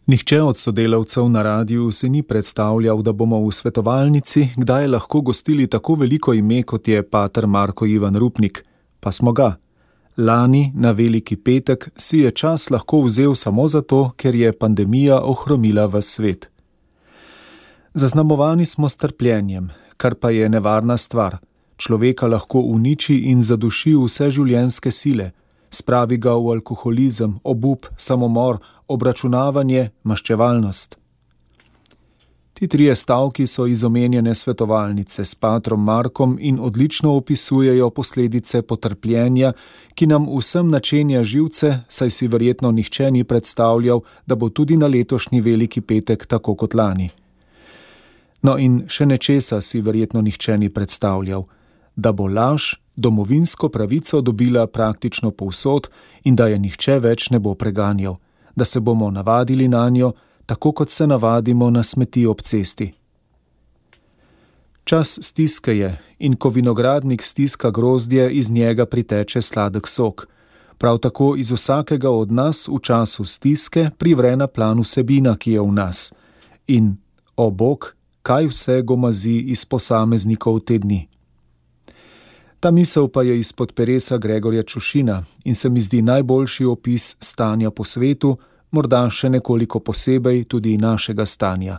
Nihče od sodelavcev na radiu se ni predstavljal, da bomo v svetovalnici kdaj lahko gostili tako veliko ime, kot je pater Marko Ivan Rupnik, pa smo ga. Lani, na Veliki petek, si je čas lahko vzel samo zato, ker je pandemija ohromila ves svet. Zaznamovani smo s trpljenjem, kar pa je nevarna stvar. Človeka lahko uniči in zaduši vse življenjske sile, spravi ga v alkoholizem, obup, samomor, obračunavanje, maščevalnost. Ti trije stavki so iz omenjene svetovalnice s patrom Markom in odlično opisujejo posledice potrpljenja, ki nam vsem načenja živce, saj si verjetno nihče ni predstavljal, da bo tudi na letošnji Veliki petek tako kot lani. No in še nečesa si verjetno nihče ni predstavljal, da bo laž domovinsko pravico dobila praktično povsod in da je nihče več ne bo preganjal, da se bomo navadili nanjo, tako kot se navadimo na smeti ob cesti. Čas stiske je in ko vinogradnik stiska grozdje, iz njega priteče sladek sok. Prav tako iz vsakega od nas v času stiske privre na plan vsebina, ki je v nas. In, o Bog, kaj vse gomazi iz posameznikov te dni. Ta misel pa je izpod peresa Gregorja Čušina in se mi zdi najboljši opis stanja po svetu, morda še nekoliko posebej tudi našega stanja.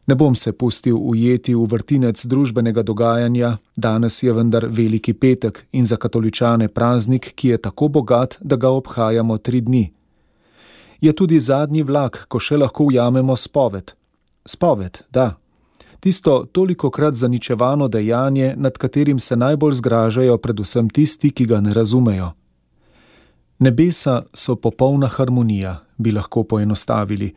Ne bom se pustil ujeti v vrtinec družbenega dogajanja, danes je vendar Veliki petek in za katoličane praznik, ki je tako bogat, da ga obhajamo 3 dni. Je tudi zadnji vlak, ko še lahko ujamemo spoved. Spoved, da. Tisto tolikokrat zaničevano dejanje, nad katerim se najbolj zgražajo predvsem tisti, ki ga ne razumejo. Nebesa so popolna harmonija, bi lahko poenostavili.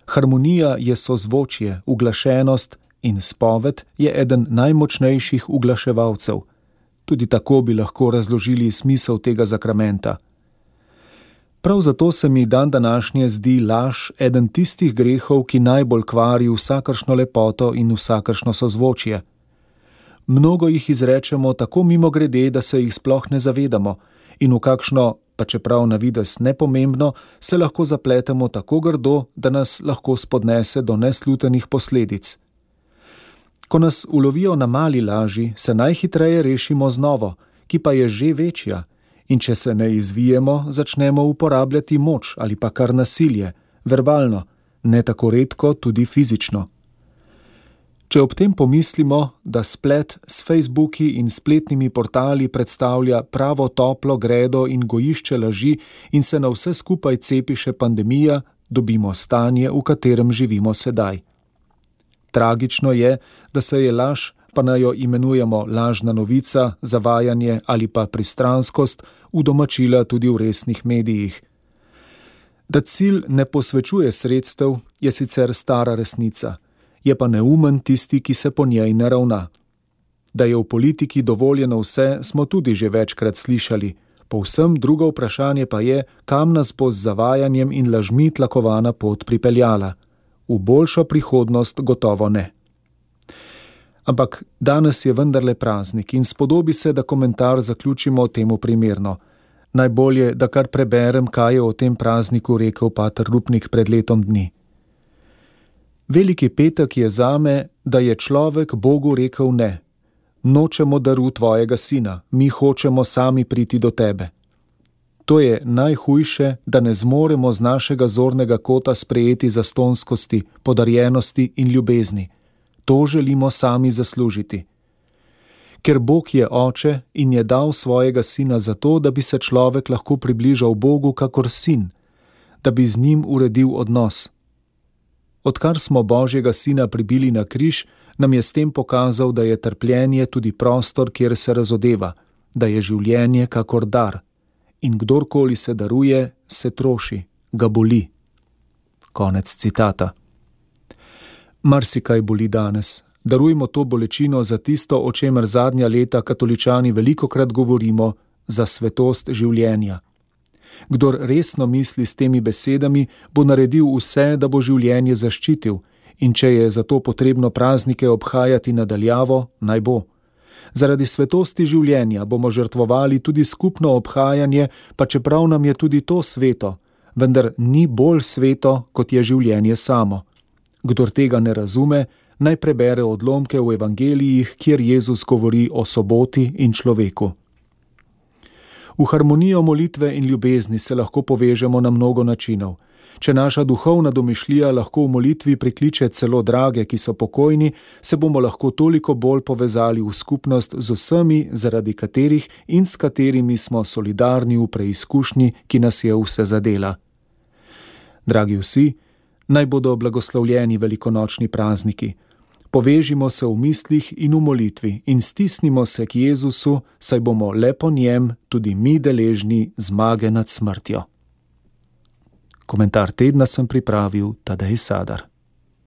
Harmonija je sozvočje, uglašenost in spoved je eden najmočnejših uglaševalcev. Tudi tako bi lahko razložili smisel tega zakramenta. Prav zato se mi današnje zdi laž eden tistih grehov, ki najbolj kvari vsakršno lepoto in vsakršno sozvočje. Mnogo jih izrečemo tako mimogrede, da se jih sploh ne zavedamo in v kakšno, pa čeprav na videz nepomembno, se lahko zapletemo tako grdo, da nas lahko spodnese do neslutenih posledic. Ko nas ulovijo na mali laži, se najhitreje rešimo z novo, ki pa je že večja, in če se ne izvijemo, začnemo uporabljati moč ali pa kar nasilje, verbalno, ne tako redko tudi fizično. Če ob tem pomislimo, da splet s Facebooki in spletnimi portali predstavlja pravo toplo gredo in gojišče laži in se na vse skupaj cepi še pandemija, dobimo stanje, v katerem živimo sedaj. Tragično je, da se je laž, pa naj jo imenujemo lažna novica, zavajanje ali pa pristranskost, udomačila tudi v resnih medijih. Da cilj ne posvečuje sredstev, je sicer stara resnica. Je pa neumen tisti, ki se po njej ne ravna. Da je v politiki dovoljeno vse, smo tudi že večkrat slišali. Povsem drugo vprašanje pa je, kam nas bo z zavajanjem in lažmi tlakovana pot pripeljala. V boljšo prihodnost gotovo ne. Ampak danes je vendarle praznik in spodobi se, da komentar zaključimo temu primerno. Najbolje, da kar preberem, kaj je o tem prazniku rekel pater Rupnik pred letom dni. Veliki petek je zame, da je človek Bogu rekel ne. Nočemo daru tvojega sina, mi hočemo sami priti do tebe. To je najhujše, da ne zmoremo z našega zornega kota sprejeti zastonskosti, podarjenosti in ljubezni. To želimo sami zaslužiti. Ker Bog je oče in je dal svojega sina zato, da bi se človek lahko približal Bogu kakor sin, da bi z njim uredil odnos. Odkar smo Božjega sina pribili na križ, nam je s tem pokazal, da je trpljenje tudi prostor, kjer se razodeva, da je življenje kakor dar. In kdorkoli se daruje, se troši, ga boli. Konec citata. Marsikaj boli danes. Darujmo to bolečino za tisto, o čemer zadnja leta katoličani velikokrat govorimo, za svetost življenja. Kdor resno misli s temi besedami, bo naredil vse, da bo življenje zaščitil, in če je zato potrebno praznike obhajati nadaljavo, naj bo. Zaradi svetosti življenja bomo žrtvovali tudi skupno obhajanje, pa čeprav nam je tudi to sveto, vendar ni bolj sveto, kot je življenje samo. Kdor tega ne razume, naj prebere odlomke v evangelijih, kjer Jezus govori o soboti in človeku. V harmonijo molitve in ljubezni se lahko povežemo na mnogo načinov. Če naša duhovna domišljija lahko v molitvi prikliče celo drage, ki so pokojni, se bomo lahko toliko bolj povezali v skupnost z vsemi, zaradi katerih in s katerimi smo solidarni v preizkušnji, ki nas je vse zadela. Dragi vsi, naj bodo blagoslovljeni velikonočni prazniki. Povežimo se v mislih in v molitvi in stisnimo se k Jezusu, saj bomo le po njem tudi mi deležni zmage nad smrtjo. Komentar tedna sem pripravil Tadej Sadar.